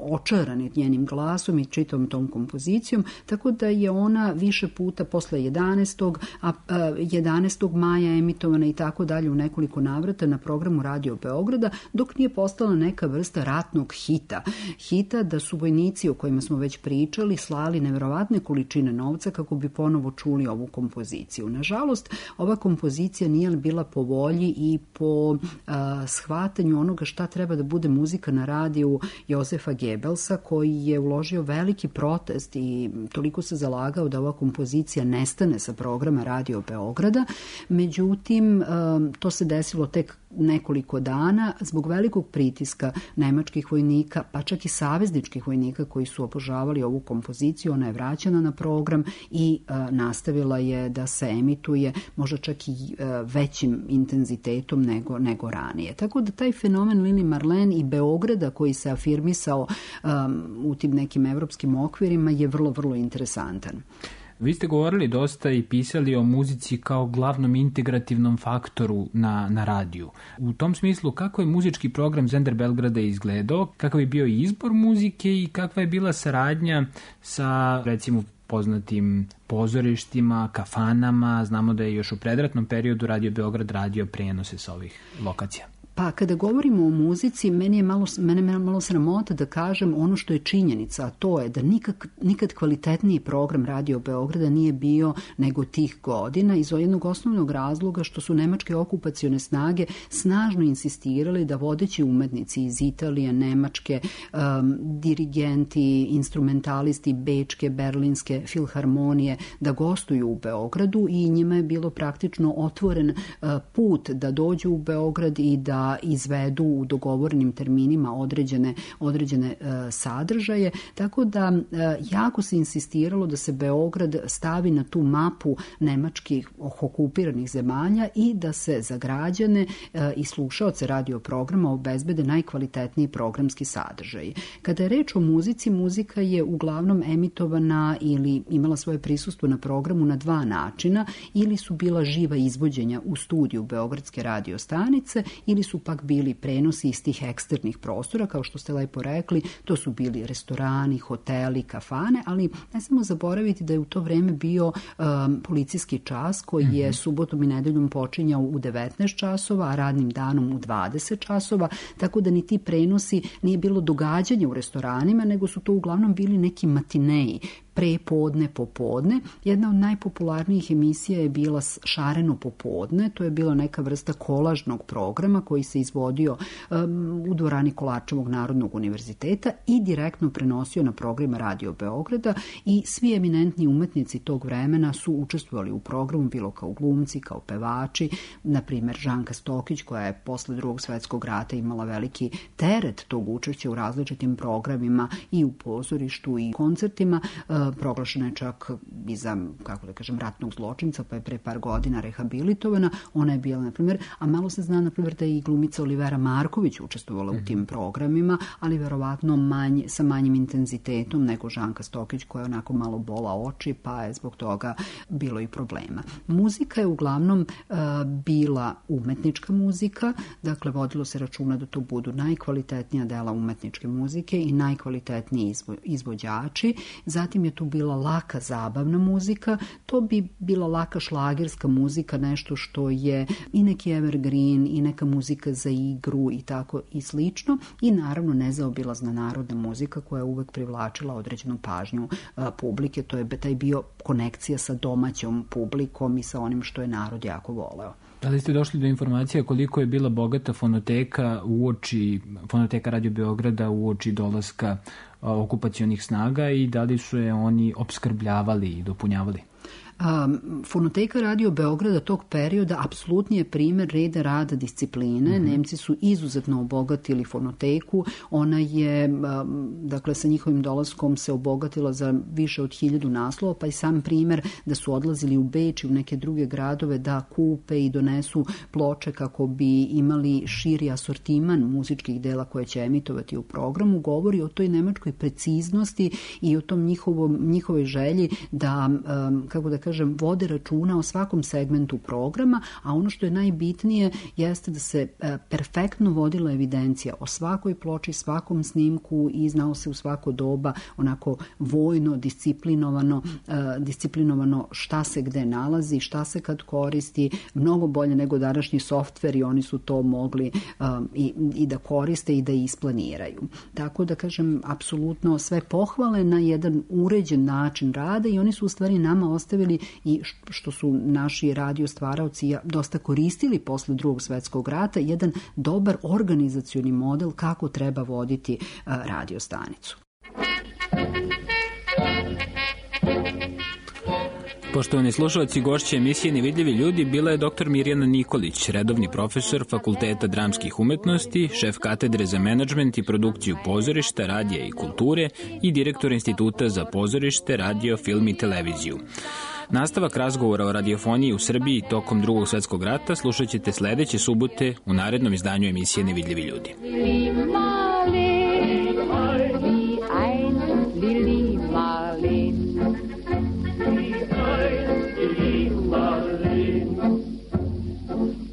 očarani njenim glasom i čitavom tom kompozicijom, tako da je ona više puta posle jedanaestog a jedanaestog maja emitovana i tako dalje u nekoliko navrata na programu Radio Beograda, dok nije postala neka vrsta ratnog hita. Hita da su vojnici o kojima smo već pričali slali nevjerovatne količine novca kako bi ponovo čuli ovu kompoziciju. Nažalost, ova kompozicija nije bila po volji i po a, shvatanju onoga šta treba da bude muzika na radiju Josefa Gebelsa, koji je uložio veliki protest i toliko se zalagao da ova kompozicija nestane sa programa Radio Beograda. Međutim, to se desilo tek nekoliko dana zbog velikog pritiska nemačkih vojnika, pa čak i savezničkih vojnika koji su obožavali ovu kompoziciju. Ona je vraćena na program i uh, nastavila je da se emituje možda čak i uh, većim intenzitetom nego, nego ranije. Tako da taj fenomen Lili Marlen i Beograda koji se afirmisao um, u tim nekim evropskim okvirima je vrlo, vrlo interesantan. Vi ste govorili dosta i pisali o muzici kao glavnom integrativnom faktoru na, na radiju. U tom smislu, kako je muzički program Zender Belgrada izgledao, kakav je bio izbor muzike i kakva je bila saradnja sa, recimo, poznatim pozorištima, kafanama? Znamo da je još u predratnom periodu Radio Beograd radio prenose sa ovih lokacija. Pa kada govorimo o muzici, meni je malo, mene je malo sramota da kažem ono što je činjenica, a to je da nikak, nikad kvalitetniji program Radio Beograda nije bio nego tih godina iz jednog osnovnog razloga što su nemačke okupacione snage snažno insistirali da vodeći umetnici iz Italije, Nemačke, um, dirigenti, instrumentalisti Bečke, Berlinske filharmonije da gostuju u Beogradu i njima je bilo praktično otvoren uh, put da dođu u Beograd i da izvedu u dogovorenim terminima određene, određene uh, sadržaje, tako da uh, jako se insistiralo da se Beograd stavi na tu mapu nemačkih okupiranih zemalja i da se za građane uh, i slušaoce radio programa obezbede najkvalitetniji programski sadržaj. Kada je reč o muzici, muzika je uglavnom emitovana ili imala svoje prisustvo na programu na dva načina, ili su bila živa izvođenja u studiju Beogradske radio stanice ili su pak bili prenosi iz tih eksternih prostora, kao što ste lepo rekli, to su bili restorani, hoteli, kafane, ali ne samo zaboraviti da je u to vreme bio um, policijski čas koji je mm-hmm. subotom i nedeljom počinjao u devetnaest časova, a radnim danom u dvadeset časova, tako da ni ti prenosi nije bilo događanja u restoranima, nego su to uglavnom bili neki matineji, prepodne, popodne. Jedna od najpopularnijih emisija je bila Šareno popodne, to je bila neka vrsta kolažnog programa koji se izvodio um, u dvorani Kolarčevog Narodnog univerziteta i direktno prenosio na program Radio Beograda i svi eminentni umetnici tog vremena su učestvovali u programu, bilo kao glumci, kao pevači, na primjer Žanka Stokić, koja je posle Drugog svetskog rata imala veliki teret tog učešća u različitim programima i u pozorištu i koncertima. Proglašena je čak i za, kako da kažem, ratnog zločinca, pa je pre par godina rehabilitovana. Ona je bila, na primjer, a malo se zna, na primjer, da je i glumica Olivera Marković učestvovala mm-hmm. u tim programima, ali verovatno manj, sa manjim intenzitetom nego Žanka Stokić, koja je onako malo bola oči, pa je zbog toga bilo i problema. Muzika je uglavnom uh, bila umetnička muzika, dakle, vodilo se računa da to budu najkvalitetnija dela umetničke muzike i najkvalitetniji izvo, izvođači. Zatim je tu bila laka zabavna muzika, to bi bila laka šlagerska muzika, nešto što je i neki evergreen i neka muzika za igru i tako i slično, i naravno nezaobilazna narodna muzika koja je uvek privlačila određenu pažnju a, publike, to je taj bio konekcija sa domaćom publikom i sa onim što je narod jako voleo. Da li ste došli do informacija koliko je bila bogata fonoteka uoči, fonoteka Radio Beograda uoči dolaska okupacionih snaga i da li su je oni opskrbljavali i dopunjavali? Um, fonoteka Radio Beograda tog perioda apsolutni je primer reda, rada, discipline. Mm-hmm. Nemci su izuzetno obogatili fonoteku. Ona je, um, dakle, sa njihovim dolaskom se obogatila za više od hiljadu naslova, pa i sam primer da su odlazili u Beč i u neke druge gradove da kupe i donesu ploče kako bi imali širi asortiman muzičkih dela koje će emitovati u programu, govori o toj nemačkoj preciznosti i o tom njihovom, njihovoj želji da, um, kako da kažem, vode računa o svakom segmentu programa, a ono što je najbitnije jeste da se e, perfektno vodila evidencija o svakoj ploči, svakom snimku i znao se u svako doba onako vojno, disciplinovano, e, disciplinovano šta se gde nalazi, šta se kad koristi, mnogo bolje nego današnji softveri, oni su to mogli e, i, i da koriste i da isplaniraju. Tako da kažem, apsolutno sve pohvale na jedan uređen način rada i oni su u stvari nama ostavili i što su naši radio stvaraoci dosta koristili posle Drugog svetskog rata, jedan dobar organizacioni model kako treba voditi radio stanicu. Poštovani slušalci, gošća emisije Nevidljivi ljudi bila je doktor Mirjana Nikolić, redovni profesor Fakulteta dramskih umetnosti, šef katedre za menadžment i produkciju pozorišta, radija i kulture i direktor Instituta za pozorište, radio, film i televiziju. Nastavak razgovora o radiofoniji u Srbiji tokom Drugog svetskog rata slušat ćete sledeće subote u narednom izdanju emisije Nevidljivi ljudi.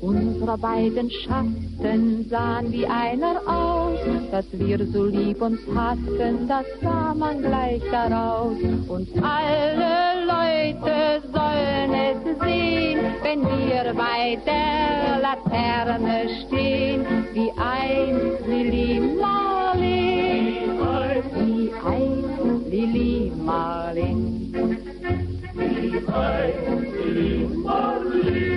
Unsere beiden Schatten sahen wie einer aus, dass wir so lieb uns hatten, das sah man gleich daraus. Und alle Leute sollen es sehen, wenn wir bei der Laterne stehen, wie einst Lili Marleen, wie einst Lili Marleen, wie einst Lili Marleen.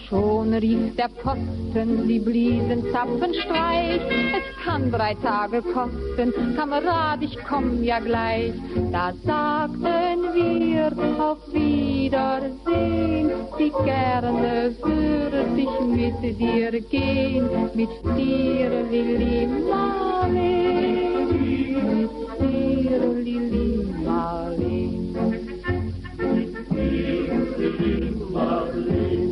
Schon rief der Posten, sie bliesen Zapfenstreich. Es kann drei Tage kosten, Kamerad, ich komm ja gleich. Da sagten wir auf Wiedersehen, wie gerne würde ich mit dir gehen, mit dir, Lili Marleen, mit dir, Lili Marleen, mit dir, Lili Marleen.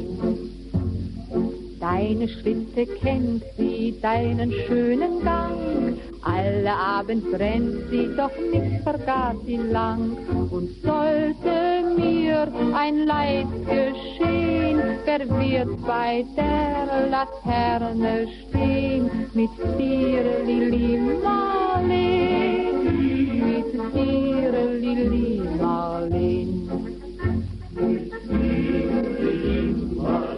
Deine Schritte kennt sie, deinen schönen Gang. Alle Abend brennt sie, doch nicht vergaß sie lang. Und sollte mir ein Leid geschehen, wer wird bei der Laterne stehen? Mit dir, Lili Marleen, mit dir, Lili Marleen, mit dir, Lili Marleen.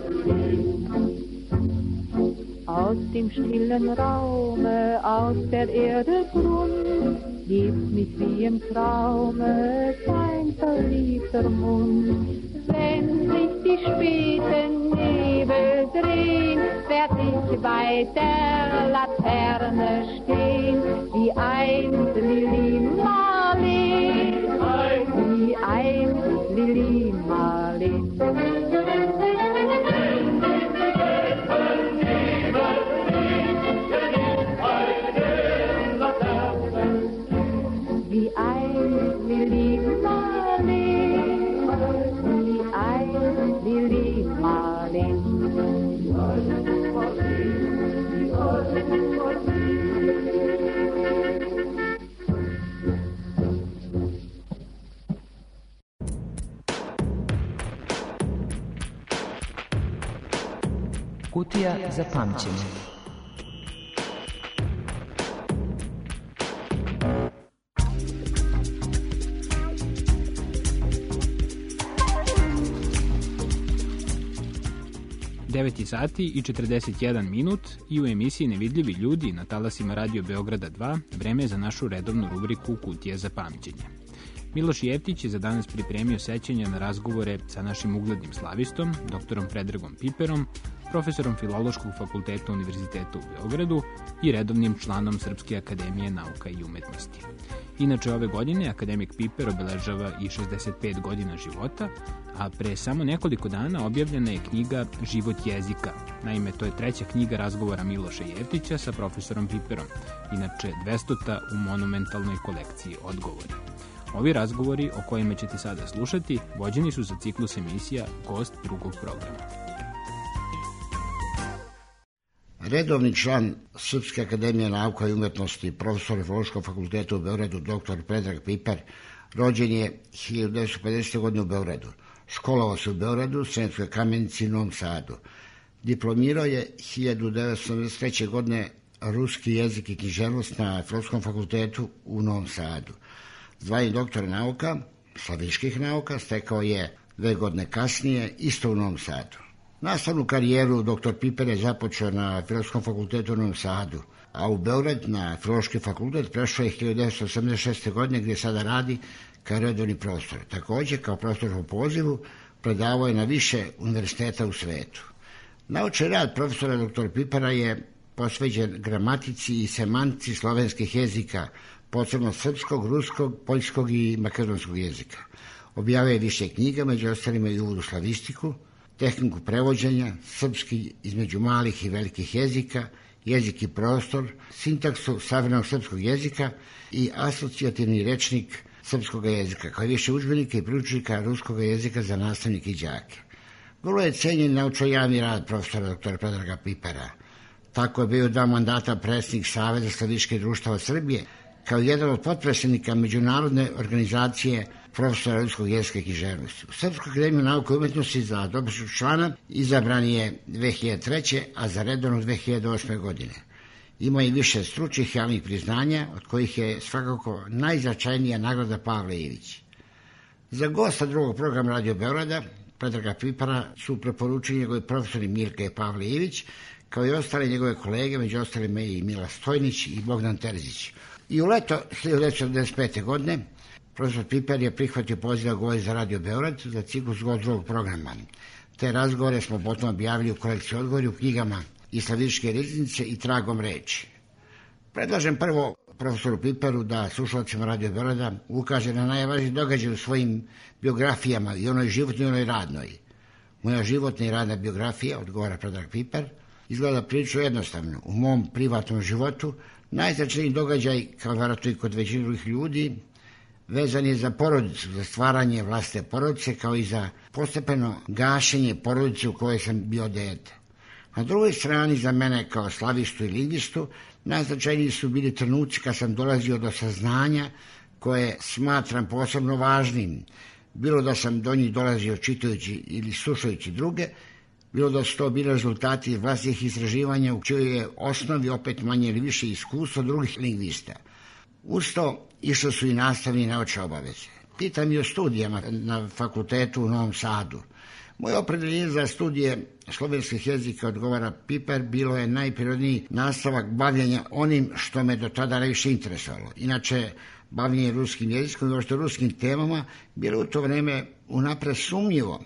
Aus dem stillen Raume, aus der Erde Grund, hebt mich wie im Traume dein verliebter Mund. Wenn sich die späten Nebel drehen, werd ich bei der Laterne stehen, wie einst Lili Marleen, wie einst Lili Marleen. Wie einst Lili Marleen, wie einst Lili Marleen. Kutija za pamćenje. devet sati i četrdeset jedan minut i u emisiji Nevidljivi ljudi na talasima Radio Beograda dva vreme je za našu redovnu rubriku Kutija za pamćenje. Miloš Jeftić je za danas pripremio sećanja na razgovore sa našim uglednim slavistom, doktorom Predragom Piperom, profesorom Filološkog fakulteta Univerziteta u Beogradu i redovnim članom Srpske akademije nauka i umetnosti. Inače, ove godine akademik Piper obeležava i šezdeset pet godina života, a pre samo nekoliko dana objavljena je knjiga Život jezika. Naime, to je treća knjiga razgovora Miloša Jeftića sa profesorom Piperom, inače dvestota u monumentalnoj kolekciji Odgovori. Ovi razgovori o kojima ćete sada slušati vođeni su za ciklus emisija Gost drugog programa. Redovni član Srpske akademije nauka i umetnosti, profesor Filološkog fakulteta u Beogradu, doktor Predrag Piper, rođen je hiljadu devetsto pedesete. godine u Beogradu. Školovao se u Beogradu, Sremskoj Kamenici i Novom Sadu. Diplomirao je hiljadu devetsto sedamdeset treće. godine ruski jezik i književnost na Filološkom fakultetu u Novom Sadu. Zvanje doktora nauka, slaviških nauka, stekao je dve godine kasnije, isto u Novom Sadu. Nastavnu karijeru doktor Piper je započeo na Filološkom fakultetu u Novom Sadu, a u Beograd na Filološki fakultet prešao je hiljadu devetsto osamdeset šeste. godine gdje sada radi kao redovni profesor. Također, kao profesor po pozivu, predavao je na više univerziteta u svetu. Naučni rad profesora doktora Pipera je posvećen gramatici i semantici slovenskih jezika, posebno srpskog, ruskog, poljskog i makedonskog jezika. Objavio je više knjiga, među ostalima i uvod u slavistiku, tehniku prevođenja, srpski između malih i velikih jezika, jezik i prostor, sintaksu savremenog srpskog jezika i asocijativni rečnik srpskog jezika, kao i više udžbenika i priručnika ruskog jezika za nastavnike i đake. Vrlo je cenjen naučno-javni rad profesora doktora Predraga Pipera. Tako je bio dva mandata predsjednik Saveza slaviških društava Srbije, kao jedan od potpredsjednika Međunarodne organizacije profesora ruskog jezika i književnosti. U Srpsku akademiju nauke i umetnosti za dopisnog člana izabran je dve hiljade treće. a za redovno dve hiljade osme. godine. Ima i više stručnih javnih priznanja, od kojih je svakako najznačajnija nagrada Pavle Ivić. Za gosta drugog programa Radio Beograda, Predraga Pipara, su preporučili njegovi profesori Mirka i Pavle Ivić, kao i ostale njegove kolege, među ostalima i Mila Stojnić i Bogdan Terzić. I u leto hiljadu devetsto četrdeset pete. godine profesor Piper je prihvatio poziv da govori za Radio Beograd za ciklus gost drugog programa. Te razgovore smo potom objavili u kolekciji odgovori u knjigama i Slavičke riznice i Tragom reči. Predlažem prvo profesoru Piperu da slušalcima Radio Beograda ukaže na najvažniji događaj u svojim biografijama, i onoj životnoj i onoj radnoj. Moja životna i radna biografija, odgovara Predrag Piper, izgleda prilično jednostavno. U mom privatnom životu najznačajniji događaj, kao vjerojatno i kod većine drugih ljudi, vezan je za porodicu, za stvaranje vlastite porodice, kao i za postepeno gašenje porodice u kojoj sam bio dete. Na drugoj strani, za mene kao slavistu i lingvistu, najznačajniji su bili trenuci kad sam dolazio do saznanja koje smatram posebno važnim, bilo da sam do njih dolazio čitajući ili slušajući druge, bilo da su to bili rezultati vlastnih istraživanja u čijoj je osnovi opet manje ili više iskustvo drugih lingvista. Uz to išle su i nastavne i naučne obaveze. Pitam i o studijama na fakultetu u Novom Sadu. Moje opredeljenje za studije slovenskih jezika, odgovara Piper, bilo je najprirodniji nastavak bavljenja onim što me do tada najviše interesovalo. Inače, bavljenje ruskim jezikom i uopšte ruskim temama bilo u to vreme unapred sumnjivo,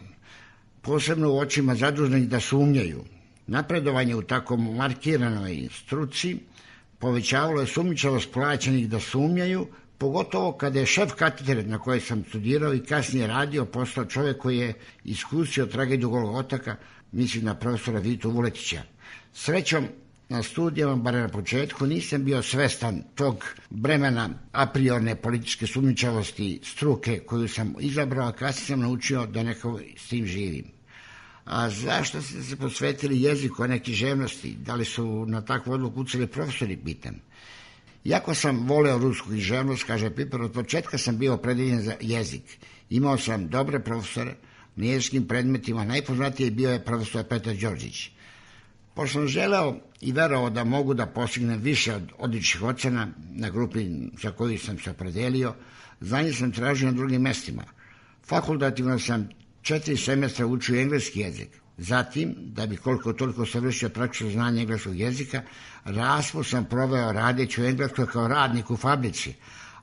posebno u očima zaduženih da sumnjaju. Napredovanje u tako markiranoj struci povećavalo je sumnjičavost plaćenih da sumnjaju, pogotovo kada je šef katedre na kojoj sam studirao i kasnije radio postao čovjek koji je iskusio tragediju Golog otoka, mislim na profesora Vitu Vuletića. Srećom, na studijama, bar na početku, nisam bio svestan tog bremena a priorne političke sumnjičavosti struke koju sam izabrao, a kasnije sam naučio da nekako s tim živim. A zašto ste se posvetili jeziku, a ne književnosti? Da li su na takvu odluku uceli profesori, pitam. Iako sam voleo rusku književnost, kaže Piper, od početka sam bio opredeljen za jezik. Imao sam dobre profesore na jezičkim predmetima, najpoznatiji bio je profesor Petar Đorđić. Pošto sam želeo i verovao da mogu da postignem više od odličnih ocena na grupi za koju sam se opredelio, znanje sam tražio na drugim mestima. Fakultativno sam četiri semestra učio engleski jezik. Zatim, da bi koliko toliko savršio praktično znanje engleskog jezika, raspust sam proveo radeći u Engleskoj kao radnik u fabrici,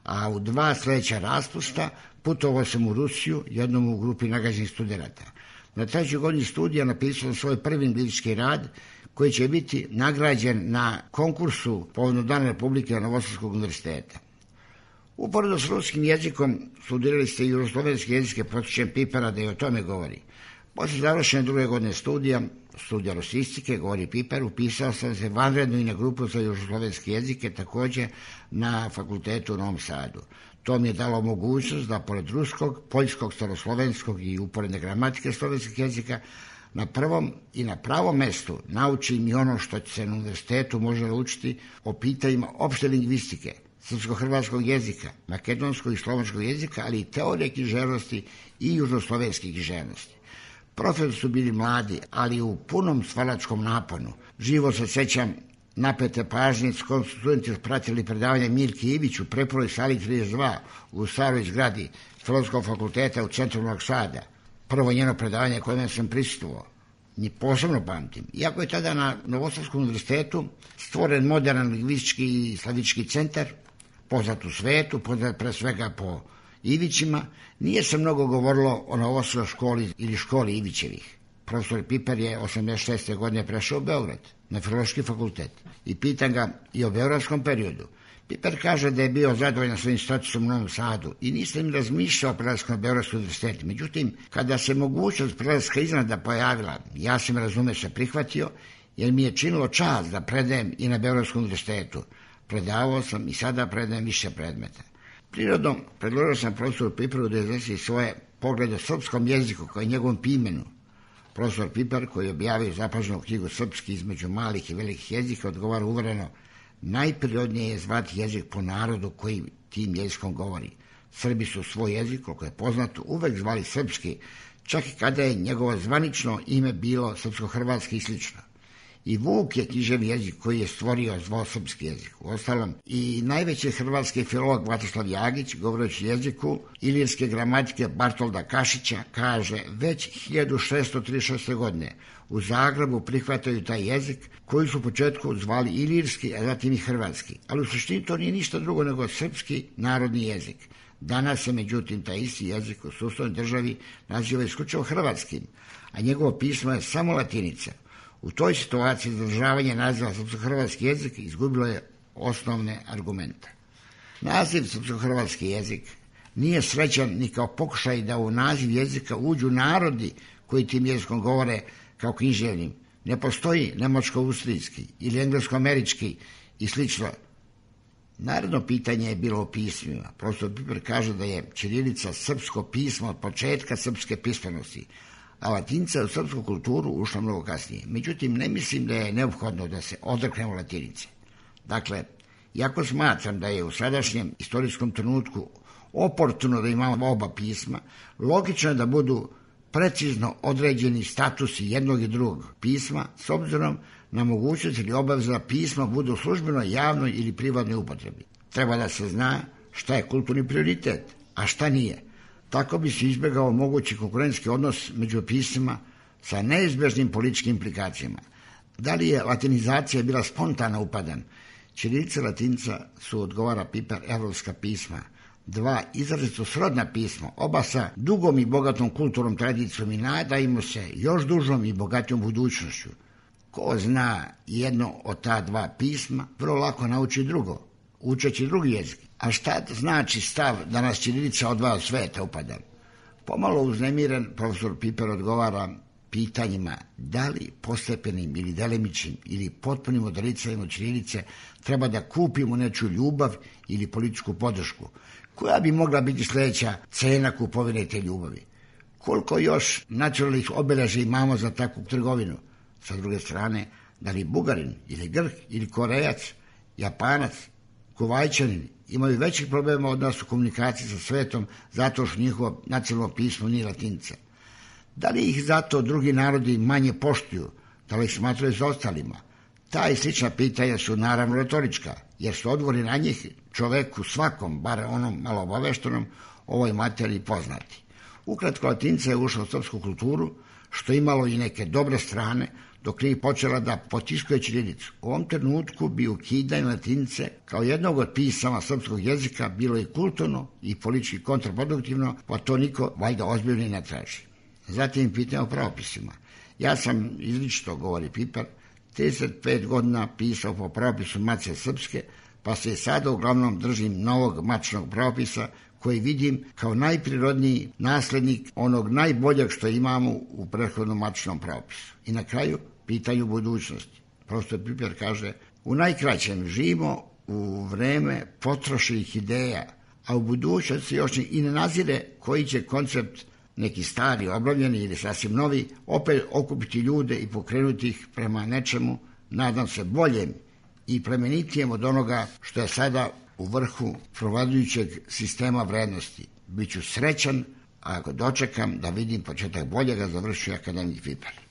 a u dva sljedeća raspusta putovao sam u Rusiju, jednom u grupi nagađenih studenata. Na trećoj godini studija napisao sam svoj prvi anglički rad, koji će biti nagrađen na konkursu povodom Dana Republike Novosadskog univerziteta. Uporedo s ruskim jezikom studirali ste i jugoslovenski jezike, podsjećam Pipera da je o tome govori. Poslije završene druge godine studija, studija rusistike, govori Piper, upisao sam se vanredno i na grupu za jugoslovenske jezike, također na fakultetu u Novom Sadu. To mi je dalo mogućnost da pored ruskog, poljskog, staroslovenskog i uporedne gramatike slovenskih jezika na prvom i na pravom mestu naučim i ono što se na univerzitetu može naučiti o pitanjima opšte lingvistike, srpsko-hrvatskog jezika, makedonskog i slovenskog jezika, ali i teorije književnosti i južnoslovenske književnosti. Profesori su bili mladi, ali u punom stvaračkom naponu. Živo se sećam napete pažnje s kojom su studenti pratili predavanje Mirke Ivić u preporoj sali trideset dva u staroj zgradi Filozofskog fakulteta u centru Novog Sada. Prvo njeno predavanje kojem sam prisustvovao. Ni posebno pamtim. Iako je tada na Novosadskom univerzitetu stvoren modern lingvistički i slavički centar, poznat u svetu, poznat pre svega po Ivićima, nije se mnogo govorilo o Novosadskoj školi ili školi Ivićevih. Profesor Piper je osamdeset šeste. godine prešao u Beograd, na Filološki fakultet, i pitam ga i o beogradskom periodu. Piper kaže da je bio zadovoljan svojim statusom u Novom Sadu i nisam im razmišljao o prelasku na Beogradski univerzitet. Međutim, kada se mogućnost prelaska iznada pojavila, ja sam razume se prihvatio, jer mi je činilo čast da predajem i na Beogradskom univerzitetu. Predavao sam i sada predajem više predmeta. Prirodom, predložio sam profesoru Piperu da iznese svoje poglede o srpskom jeziku kao i njegovom pimenu. Profesor Piper, koji je objavio zapaženu knjigu Srpski između malih i velikih jezika, odgovara uvereno: najprirodnije je zvati jezik po narodu koji tim jezikom govori. Srbi su svoj jezik, koliko je poznato, uvek zvali srpski, čak i kada je njegovo zvanično ime bilo srpsko-hrvatski i slično. I Vuk je književni jezik koji je stvorio dvosrpski jezik. Uostalom, i najveći hrvatski filolog Vatislav Jagić, govoreći jeziku ilirske gramatike Bartolda Kašića, kaže već hiljadu šeststo trideset šeste. godine u Zagrebu prihvataju taj jezik koji su u početku zvali ilirski, a zatim i hrvatski. Ali u suštini to nije ništa drugo nego srpski narodni jezik. Danas se, međutim, taj isti jezik u sustavnoj državi naziva isključivo hrvatskim, a njegovo pismo je samo latinica. U toj situaciji zadržavanje naziva srpsko-hrvatski jezik izgubilo je osnovne argumente. Naziv srpsko-hrvatski jezik nije srećan ni kao pokušaj da u naziv jezika uđu narodi koji tim jezikom govore kao književnim. Ne postoji nemačko-austrijski ili englesko-američki i slično. Naredno pitanje je bilo o pismima. Profesor Piper kaže da je ćirilica srpsko pismo od početka srpske pismenosti, a latinca je u srpsku kulturu ušla mnogo kasnije. Međutim, ne mislim da je neophodno da se odreknemo latinice. Dakle, iako smatram da je u sadašnjem istorijskom trenutku oportuno da imamo oba pisma, logično je da budu precizno određeni statusi jednog i drugog pisma s obzirom na mogućnost ili obaveza da pisma budu u službenoj, javnoj ili privatnoj upotrebi. Treba da se zna šta je kulturni prioritet, a šta nije. Tako bi se izbjegao mogući konkurentski odnos među pismima sa neizbježnim političkim implikacijama. Da li je latinizacija bila spontana upadan? Ćirilica i latinca su, odgovara Piper, evropska pisma. Dva izrazito srodna pisma, oba sa dugom i bogatom kulturnom tradicijom i nadajmo se još dužom i bogatijom budućnošću. Ko zna jedno od ta dva pisma, vrlo lako nauči drugo, učeći drugi jezik. A šta znači stav da nas ćirilica odvaja od sveta upada? Pomalo uznemiren profesor Piper odgovara pitanjima da li postepenim ili delimičnim ili potpunim odricanjem od ćirilice treba da kupimo nečiju ljubav ili političku podršku. Koja bi mogla biti sljedeća cena kupovine te ljubavi? Koliko još nacionalnih obeležja imamo za takvu trgovinu? Sa druge strane, da li Bugarin ili Grk ili Korejac, Japanac, Kuvajčanin imaju većih problema od nas u komunikaciji sa svetom zato što njihovo nacionalno pismo nije latinca. Da li ih zato drugi narodi manje poštuju, da li ih smatraju za ostalima? Ta i slična pitanja su naravno retorička, jer su odgovori na njih čoveku svakom, bar onom malo obaveštenom, ovoj materiji poznati. Ukratko, latinca je ušla u srpsku kulturu, što imalo i neke dobre strane, dok nije počela da potiskuje ćirilicu. U ovom trenutku bi ukidanje latinice kao jednog od pisama srpskog jezika bilo i kulturno i politički kontraproduktivno, pa to niko valjda ozbiljno ne traži. Zatim pitanje o pravopisima. Ja sam izričito, govori Piper, trideset pet godina pisao po pravopisu Matice srpske, pa se sada uglavnom držim novog matičnog pravopisa koji vidim kao najprirodniji naslednik onog najboljeg što imamo u prethodnom matičnom pravopisu. I na kraju, pitanju budućnosti. Profesor Piper kaže, u najkraćem živimo u vreme potrošenih ideja, a u budućnosti još i ne nazire koji će koncept neki stari, obnovljeni ili sasvim novi, opet okupiti ljude i pokrenuti ih prema nečemu, nadam se, boljem i plemenitijem od onoga što je sada u vrhu provladujućeg sistema vrednosti. Biću srećan ako dočekam da vidim početak boljega, završio akademik Piper.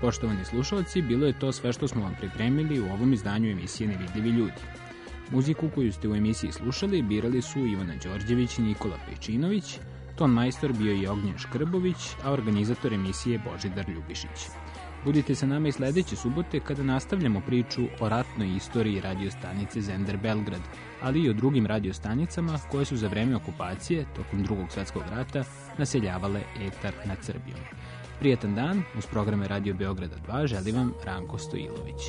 Poštovani slušalci, bilo je to sve što smo vam pripremili u ovom izdanju emisije Nevidljivi ljudi. Muziku koju ste u emisiji slušali birali su Ivana Đorđević i Nikola Pejčinović, ton majstor bio je Ognjen Škrbović, a organizator emisije Božidar Ljubišić. Budite sa nama i sledeće subote kada nastavljamo priču o ratnoj istoriji radiostanice Zender Belgrad, ali i o drugim radiostanicama koje su za vreme okupacije, tokom Drugog svetskog rata, naseljavale etar nad Srbijom. Prijetan dan, uz programe Radio Beograda dva želi vam Ranko Stojilović.